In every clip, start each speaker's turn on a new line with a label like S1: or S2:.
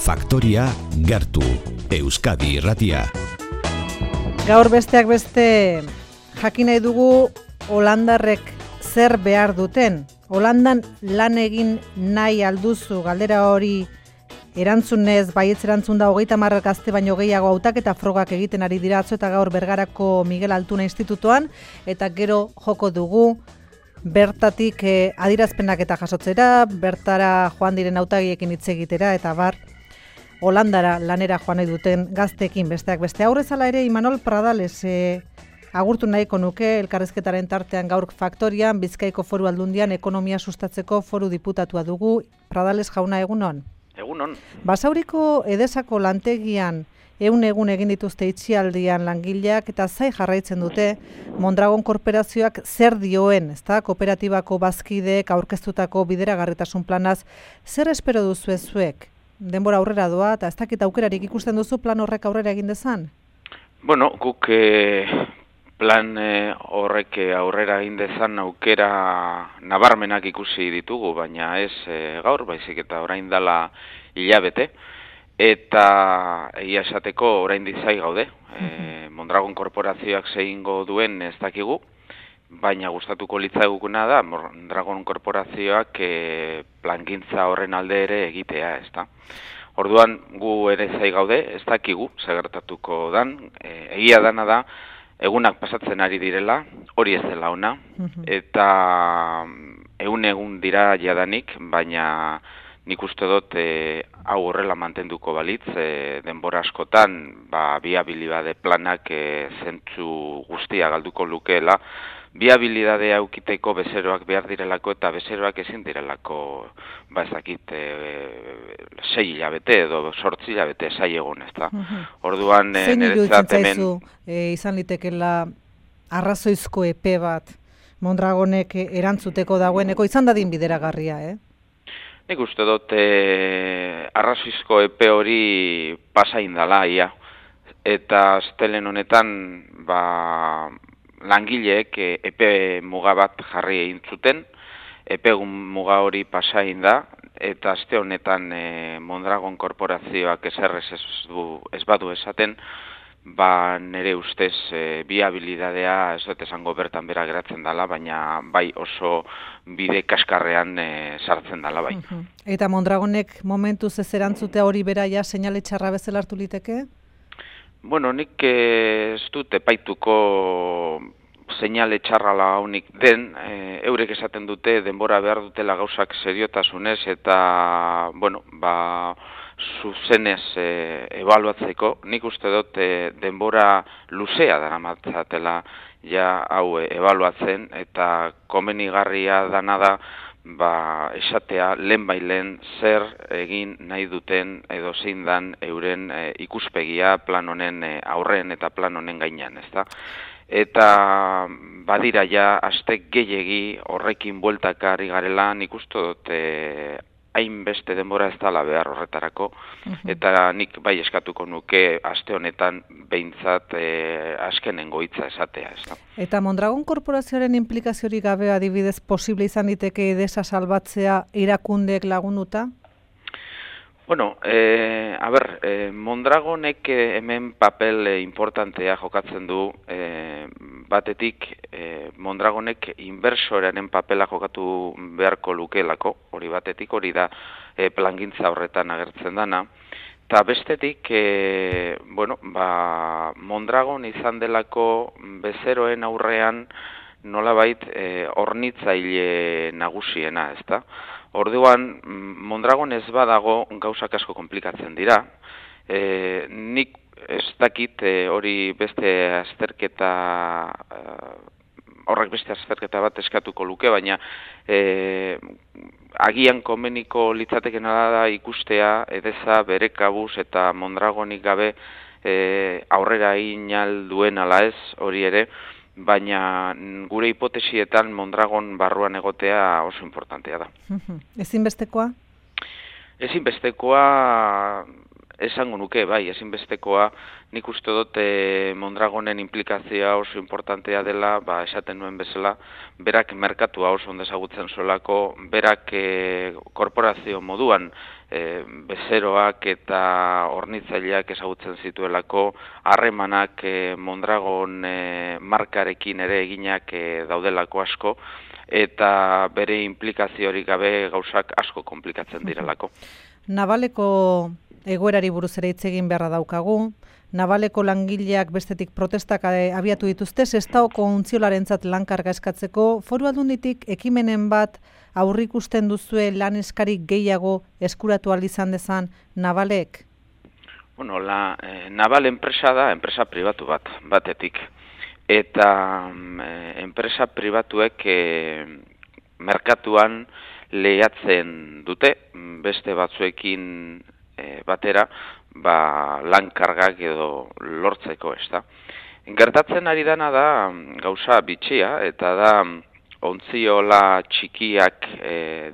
S1: Faktoria gertu, Euskadi Irratia.
S2: Gaur besteak beste jakin nahi dugu holandarrek zer behar duten. Holandan lan egin nahi alduzu, galdera hori erantzunez, baietz erantzun da 30 gazte baino gehiago hautaketa frogak egiten ari dira atzo eta gaur Bergarako Miguel Altuna Institutuan, eta gero joko dugu bertatik adierazpenak eta jasotzera, bertara joan diren hautagiekin hitz egitera eta bar Holandara lanera joan nahi duten gazteekin besteak beste. Aurrezala ere Imanol Pradales agurtu nahiko nuke elkarrizketaren tartean gaur Faktorian Bizkaiko Foru Aldundian ekonomia sustatzeko foru diputatua dugu. Pradales jauna, egunon?
S3: Egunon.
S2: Basauriko Edesako lantegian egun egin dituzte itxialdian langileak eta zai jarraitzen dute Mondragon korporazioak zer dioen, ezta? Kooperatibako bazkideek aurkeztutako bideragarritasun planaz zer espero duzu zuek? Denbora aurrera doa eta ez dakit aukerarik ikusten duzu plan horrek aurrera egin dezan?
S3: Bueno, guk plan horrek aurrera egin dezan aukera nabarmenak ikusi ditugu, baina ez gaur, baizik eta orain dela hilabete. Eta egia esateko orain dizai gaude. Mondragon korporazioak zehingo duen ez dakigu, baina gustatuko litzaigukena da Mondragon korporazioak plangintza horren alde ere egitea, ezta. Orduan gu ere zai gaude, ez dakigu segertatuko dan, egia dana da egunak pasatzen ari direla, hori ez dela ona, eta egun dira jadanik, baina nik uste dut hau horrela mantenduko balitz, denbora askotan biabilidade planak zentzu guztia galduko lukeela, biabilidadea aukiteko bezeroak behar direlako eta bezeroak ezin direlako, ezakit, 6 hilabete edo 8 hilabete zai egon, ezta. Orduan,
S2: zein iruditzen zaizu izan litekela arrazoizko epe bat Mondragonek erantzuteko dagoeneko izan dadin bideragarria,
S3: Nik uste dut arrazoizko epe hori pasain dala, ia. Eta astelen honetan, langileek epe muga bat jarri egin zuten, epe muga hori pasain da, eta aste honetan Mondragon korporazioak ez badu esaten, nire ustez biabilidadea ez dut esango bertan bera geratzen dela, baina bai oso bide kaskarrean sartzen dela bai.
S2: Eta Mondragonek momentuz ez erantzutea hori bera ja seinale txarra bezala hartu liteke?
S3: Bueno, nik ez dut epaituko seinale txarrala haunik den, eurek esaten dute denbora behar dutela gauzak seriotasunez eta, zuzenez ebaluatzeko, nik uste dut denbora luzea daramatzatela ja hau ebaluatzen eta komenigarria dana da esatea lehen zer egin nahi duten edo zein dan euren ikuspegia plan honen aurren eta plan honen gainean, ezta? Eta badira ja aste gehiegi horrekin bueltaka ari garela, nik uste dut hainbeste denbora ez dela behar horretarako, eta nik bai eskatuko nuke aste honetan behintzat azkenengo hitza esatea, ez da.
S2: Eta Mondragon korporazioaren implikaziorik gabe adibidez posible izan diteke Edesa salbatzea erakundeek lagunduta?
S3: Bueno, Mondragonek hemen papel importantea jokatzen du, batetik Mondragonek inbersorearen papela jokatu beharko lukeelako, hori batetik, hori da plangintza horretan agertzen dana, eta bestetik, Mondragon izan delako bezeroen aurrean nolabait hornitzaile nagusiena, ezta? Orduan, Mondragon ez badago gauzak asko konplikatzen dira. Nik ez dakit hori horrek beste azterketa bat eskatuko luke, baina agian komeniko litzatekena da ikustea Edesa bere kabuz eta Mondragonik gabe aurrera egin duen ala ez hori ere, baina gure hipotesietan Mondragon barruan egotea oso importantea da.
S2: Ezinbestekoa?
S3: Ezinbestekoa esango nuke, bai, ezinbestekoa, nik uste dut Mondragonen implikazioa oso importantea dela, esaten nuen bezala, berak merkatua oso ondo ezagutzen zuelako, berak korporazio moduan bezeroak eta hornitzaileak ezagutzen zituelako, harremanak Mondragon markarekin ere eginak daudelako asko, eta bere implikaziorik gabe gauzak asko konplikatzen direlako.
S2: Navaleko egoerari buruz ere hitz egin beharra daukagu. Navaleko langileak bestetik protestak abiatu dituzte, Sestaoko ontziolarentzat lankarga eskatzeko. Foru Aldunditik ekimenen bat aurrikusten duzue lan eskarik gehiago eskuratu ahal izan dezan Navalek?
S3: Bueno, Naval enpresa da, enpresa pribatu batetik. Eta enpresa pribatuek merkatuan lehiatzen dute, beste batzuekin batera, lan kargak edo lortzeko, ez da. Gertatzen ari dana da gauza bitxia, eta da ontziola txikiak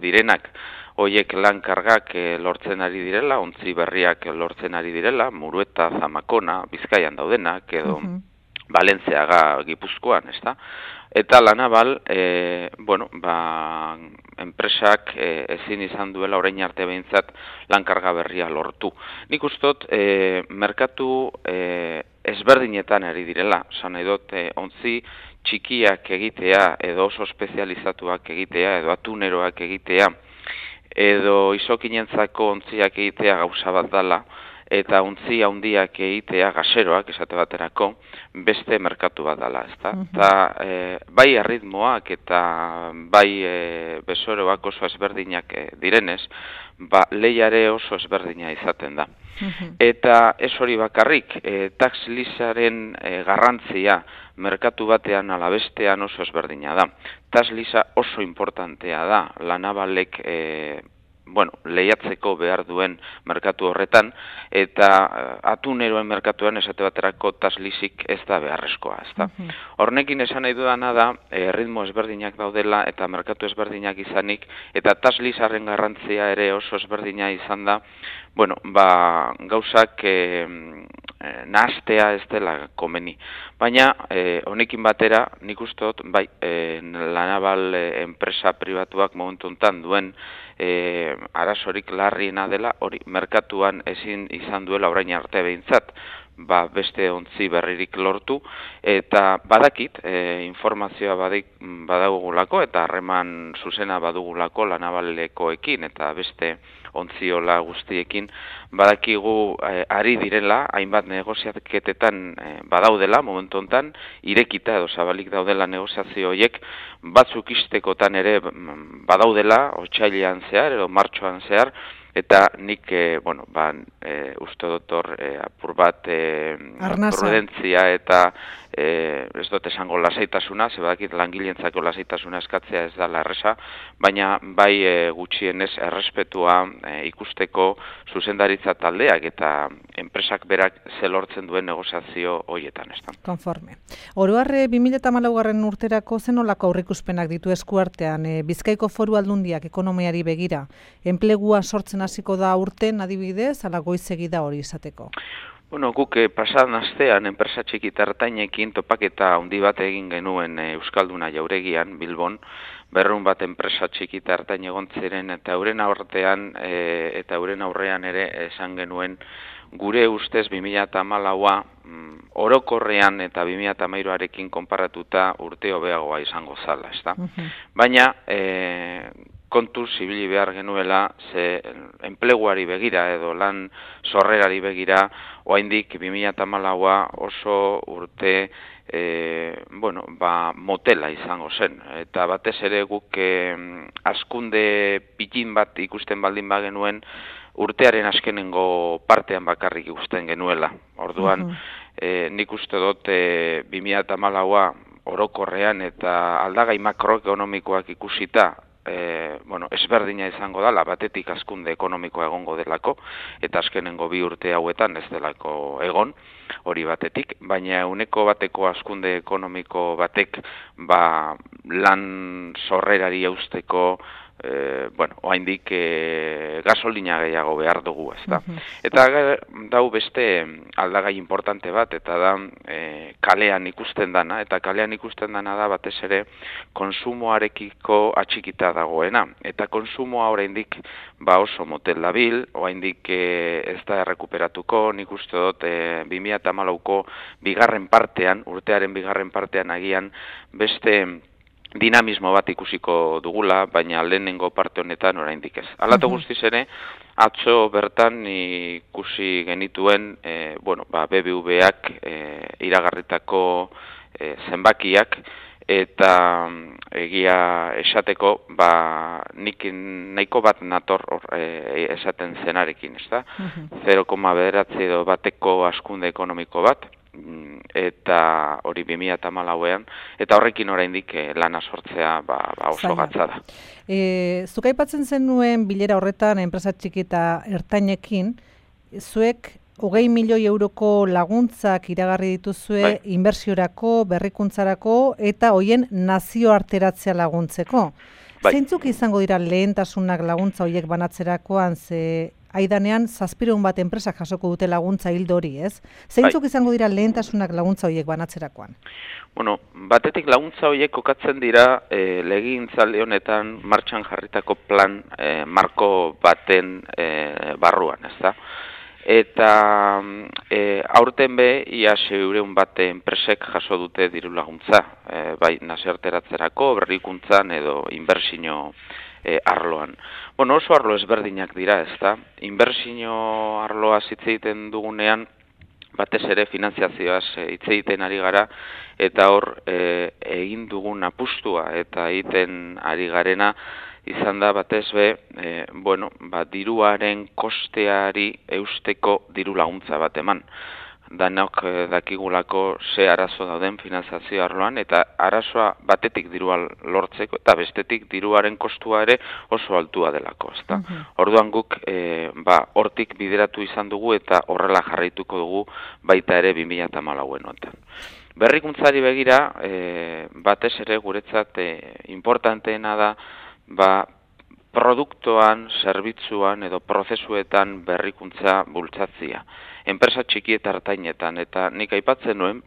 S3: direnak, hoiek lan kargak lortzen ari direla, ontzi berriak lortzen ari direla, Murueta, Zamakona, Bizkaian daudenak, edo Valentziaga Gipuzkoan, ez da. Eta La Naval, enpresak ezin izan duela orain arte behintzat lankarga berria lortu. Nik ustot, merkatu ezberdinetan ari direla, esan nahi dut, ontzi txikiak egitea, edo oso espezializatuak egitea, edo atuneroak egitea, edo izokinentzako ontziak egitea gauza bat dela, eta ontzi handiak egitea gaseroak, esate baterako, beste merkatu bat dela, ezta? Bai erritmoak eta bai bezoroak oso ezberdinak direnez, lehiare oso ezberdina izaten da. Eta ez hori bakarrik, tax leasearen garrantzia merkatu batean ala bestean oso ezberdina da. Tax leasea oso importantea da, La Navalek lehiatzeko behar duen merkatu horretan, eta atuneroen merkatuan esate baterako tax leasik ez da beharrezkoa, ezta? Hornekin esan nahi dudana da, ritmo ezberdinak daudela eta merkatu ezberdinak izanik, eta tax leasearen garrantzia ere oso ezberdina izan da, gauzak nahastea ez dela komeni. Baina, honekin batera, nik uste dut, La Naval enpresa pribatuak momentu honetan duen arazorik larriena dela, hori merkatuan ezin izan duela orain arte behintzat, beste ontzi berririk lortu, eta badakit, informazioa badagulako, eta harreman zuzena badugulako La Navalekoekin, eta beste ontziola guztiekin, badakigu ari direla, hainbat negoziaketetan badaudela, momentu honetan, irekita edo zabalik daudela negoziazio horiek, batzuk istekotan ere badaudela, otsailean zehar edo martxoan zehar, eta nik, uste dut hor apur bat prudentzia eta ez dut esango lasaitasuna, zebadakit langileentzako lasaitasuna eskatzea ez da erresa, baina bai gutxienez errespetua ikusteko zuzendaritza taldeak eta enpresak berak zelortzen duen negoziazio horietan, ez da.
S2: Konforme. Oroharre 2014 urterako zenolako aurreikuspenak ditu eskuartean, Bizkaiko Foru Aldundiak ekonomiari begira, enplegua sortzen hasiko da urten adibidez, ala goizegi da hori izateko?
S3: Guk pasadan astean enpresa txiki eta ertainekin topaketa handi bat egin genuen Euskalduna Jauregian, Bilbon, 200 bat enpresa txiki eta ertain egon ziren, eta euren aurrean ere esan genuen gure ustez 2014a orokorrean eta 2013arekin konparatuta urte hobeagoa izango zala, ezta? Baina kontuz ibili behar genuela, ze enpleguari begira edo lan sorrerari begira, oraindik 2014a oso urte motela izango zen. Eta batez ere guk hazkunde pitin bat ikusten baldin bagenuen, urtearen azkenengo partean bakarrik ikusten genuela. Orduan, nik uste dut 2014a orokorrean eta aldagai makroekonomikoak ikusita, ezberdina izango dela, batetik hazkunde ekonomikoa egongo delako, eta azkenengo 2 urte hauetan ez delako egon, hori batetik, baina uneko bateko hazkunde ekonomiko batek lan sorrerari eusteko oraindik gasolina gehiago behar dugu, ezta. Eta dau beste aldagai importante bat, eta da kalean ikusten dana, eta kalean ikusten dana da batez ere konsumoarekiko atxikita dagoena. Eta konsumoa oraindik oso motel dabil, oraindik ez da errekuperatuko, nik uste dut 2014ko bigarren partean, urtearen bigarren partean agian beste dinamismo bat ikusiko dugula, baina lehenengo parte honetan oraindik ez. Hala eta guztiz ere, atzo bertan ikusi genituen BBVak iragarritako zenbakiak, eta egia esateko, nik nahiko bat nator esaten zenarekin, ez da? 0,9 edo bateko hazkunde ekonomiko bat, eta hori 2014ean, eta horrekin oraindik lana sortzea oso gatza da.
S2: Zuk aipatzen zenuen bilera horretan enpresa txiki eta ertainekin, zuek 20 milioi euroko laguntzak iragarri dituzue inbertsiorako, berrikuntzarako eta hoien nazioarteratzea laguntzeko. Zeintzuk izango dira lehentasunak laguntza horiek banatzerakoan, ze aidanean 700 bat enpresak jasoko dute laguntza hildo hori, ez? Zeintzuk izango dira lehentasunak laguntza horiek banatzerakoan?
S3: Bueno, batetik laguntza horiek kokatzen dira legegintzaldi honetan martxan jarritako plan marko baten barruan, ez da? Eta aurten ia 600 bat enpresek jaso dute diru laguntza, bai nazioarteratzerako, berrikuntzan edo inbertsio arloan. Bueno, oso arlo ezberdinak dira, ezta? Inbertsio arloa hitz egiten dugunean, batez ere finanziazioaz hitz egiten ari gara, eta hor egin dugun apustua eta egiten ari garena izan da batez diruaren kosteari eusteko diru laguntza bat eman. Danok dakigulako ze arazo dauden finanziazio arloan, eta arazoa batetik dirua lortzeko, eta bestetik diruaren kostua ere oso altua delako, ezta? Orduan guk hortik bideratu izan dugu eta horrela jarraituko dugu baita ere 2014 honetan. Berrikuntzari begira, batez ere guretzat importanteena da produktoan, zerbitzuan edo prozesuetan berrikuntza bultzatzea. Enpresa txiki eta ertainetan, eta nik aipatzen nuen,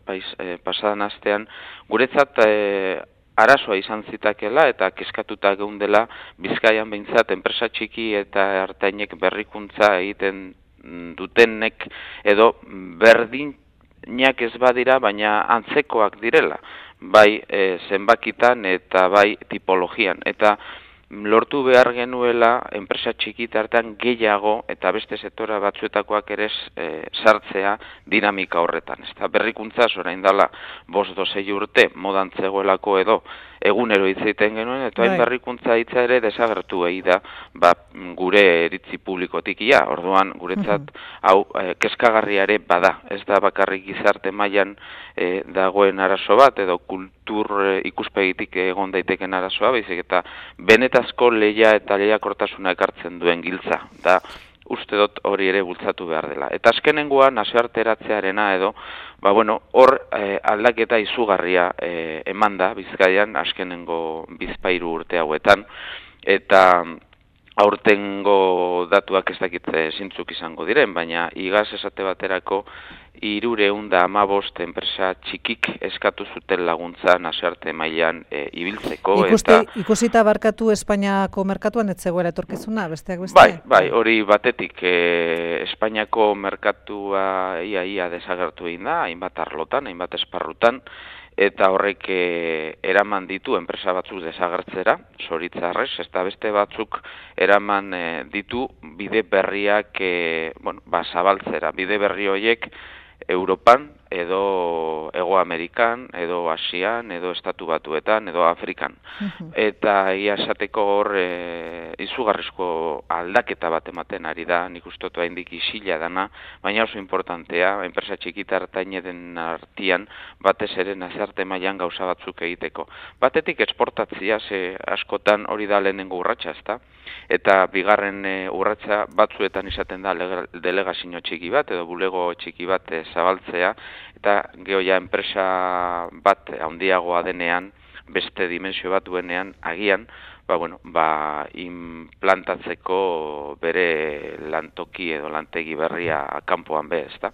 S3: pasadan astean, guretzat arazoa izan zitakela eta kezkatuta geundela Bizkaian behintzat enpresa txiki eta ertainek berrikuntza egiten dutenek edo berdinak ez badira, baina antzekoak direla, bai zenbakitan eta bai tipologian, eta lortu behar genuela enpresa txiki tartean gehiago eta beste sektora batzuetakoak ere sartzea dinamika horretan. Eta berrikuntza orain dela 5-6 urte modan zegoelako edo egunero hitz egiten genuen, eta hain berrikuntza hitza ere desagertu da gure iritzi publikotik ia. Orduan guretzat hau kezkagarria ere bada. Ez da bakarrik gizarte mailan dagoen arazo bat edo kultur ikuspegitik egon daiteken arazoa, baizik eta benetazko lehia eta lehiakortasuna ekartzen duen giltza. Da uste dut hori ere bultzatu behar dela. Eta azkenengoa nazioarteratzearena edo, hor aldaketa izugarria eman da Bizkaian azkenengo bizpahiru urte hauetan, eta aurtengo datuak ez dakitze zintzuk izango diren, baina igaz esate baterako 315 enpresa txikik eskatu zuten laguntza nazioarte mailan ibiltzeko.
S2: Ikusita barkatu Espainiako merkatuan ez zegoela etorkizuna, besteak beste?
S3: Bai, hori batetik Espainiako merkatua ia desagertu egin da, hainbat arlotan, hainbat esparrutan, eta horrek eraman ditu enpresa batzuk desagertzera, zoritzarrez, eta beste batzuk eraman ditu bide berriak zabaltzera. Bide berri horiek Europan, edo Hego Amerikan, edo Asian, edo Estatu Batuetan, edo Afrikan. Eta egia esateko hor izugarrizko aldaketa bat ematen ari da, nik uste dut haindik isila dana, baina oso importantea, enpresa txikita ertaineten artean, batez ere nazioarte mailan gauza batzuk egiteko. Batetik esportatzia, ze askotan hori da lehenengo urratsa, ezta? Eta bigarren urratsa batzuetan izaten da delegazio txiki bat, edo bulego txiki bat zabaltzea, eta gehoia enpresa bat handiagoa denean, beste dimensio bat duenean, agian, implantatzeko bere lantoki edo lantegi berria kanpoan be, ezta?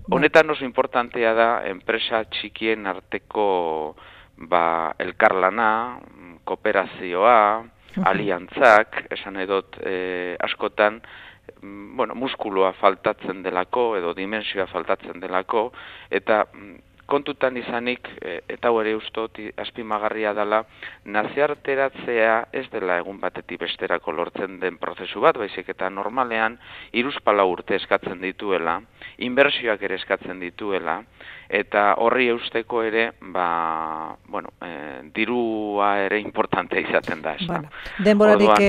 S3: Honetan oso importantea da enpresa txikien arteko elkarlana, kooperazioa, aliantzak, esan edot askotan, muskuloa faltatzen delako edo dimensioa faltatzen delako, eta kontutan izanik, eta ere ustot azpimagarria dela, nazioarteratzea ez dela egun batetik besterako lortzen den prozesu bat, baizik eta normalean 3-4 urte eskatzen dituela, inbertsioak ere eskatzen dituela, eta horri eusteko ere, dirua ere importantea izaten da.
S2: Denborarik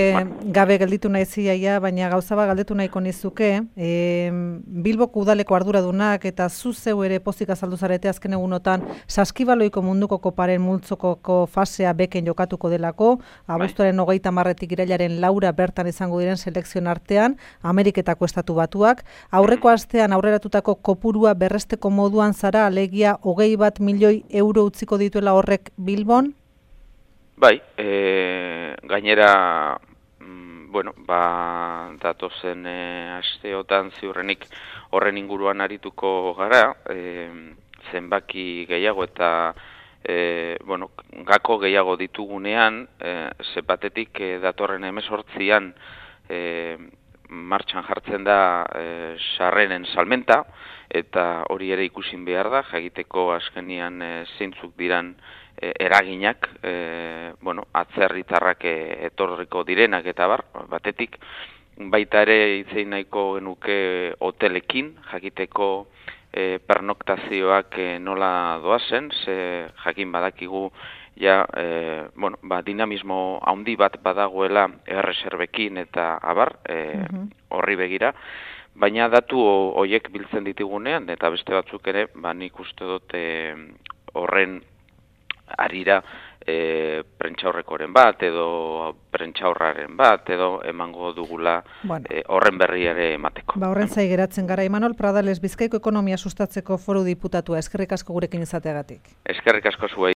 S2: gabe gelditu nahi ziaia, baina gauza bat galdetu nahiko nizuke, Bilboko udaleko arduradunak eta zu zeu ere pozik azaldu zarete azken egunotan Saskibaloiko munduko koparen multzokoko fasea beken jokatuko delako, abuztuaren 30-etik irailaren 4 bertan izango diren selekzioen artean, Ameriketako Estatu Batuak, aurreko astean aurreratutako kopurua berresteko moduan zara, alegia 21 milioi euro utziko dituela horrek Bilbon?
S3: Bai, gainera, datozen asteotan ziurrenik horren inguruan arituko gara, zenbaki gehiago eta gako gehiago ditugunean, batetik datorren 18an martxan jartzen da sarreren salmenta, eta hori ere ikusin behar da, jakiteko azkenian zeintzuk diran eraginak, atzerritarrak etorriko direnak eta batetik, baita ere itzein nahiko genuke hotelekin, jakiteko pernoktazioak nola doazen, ze jakin badakigu dinamismo handi bat badagoela erreserbekin eta horri begira, baina datu horiek biltzen ditugunean, eta beste batzuk ere, nik uste dut horren arira prentxaurrekoren bat, edo prentxaurraren bat, edo emango dugula horren berri ere emateko.
S2: Horren zai geratzen gara, Imanol Pradales, Bizkaiko ekonomia sustatzeko foru diputatua, eskerrik asko gurekin izateagatik.
S3: Eskerrik asko zuei.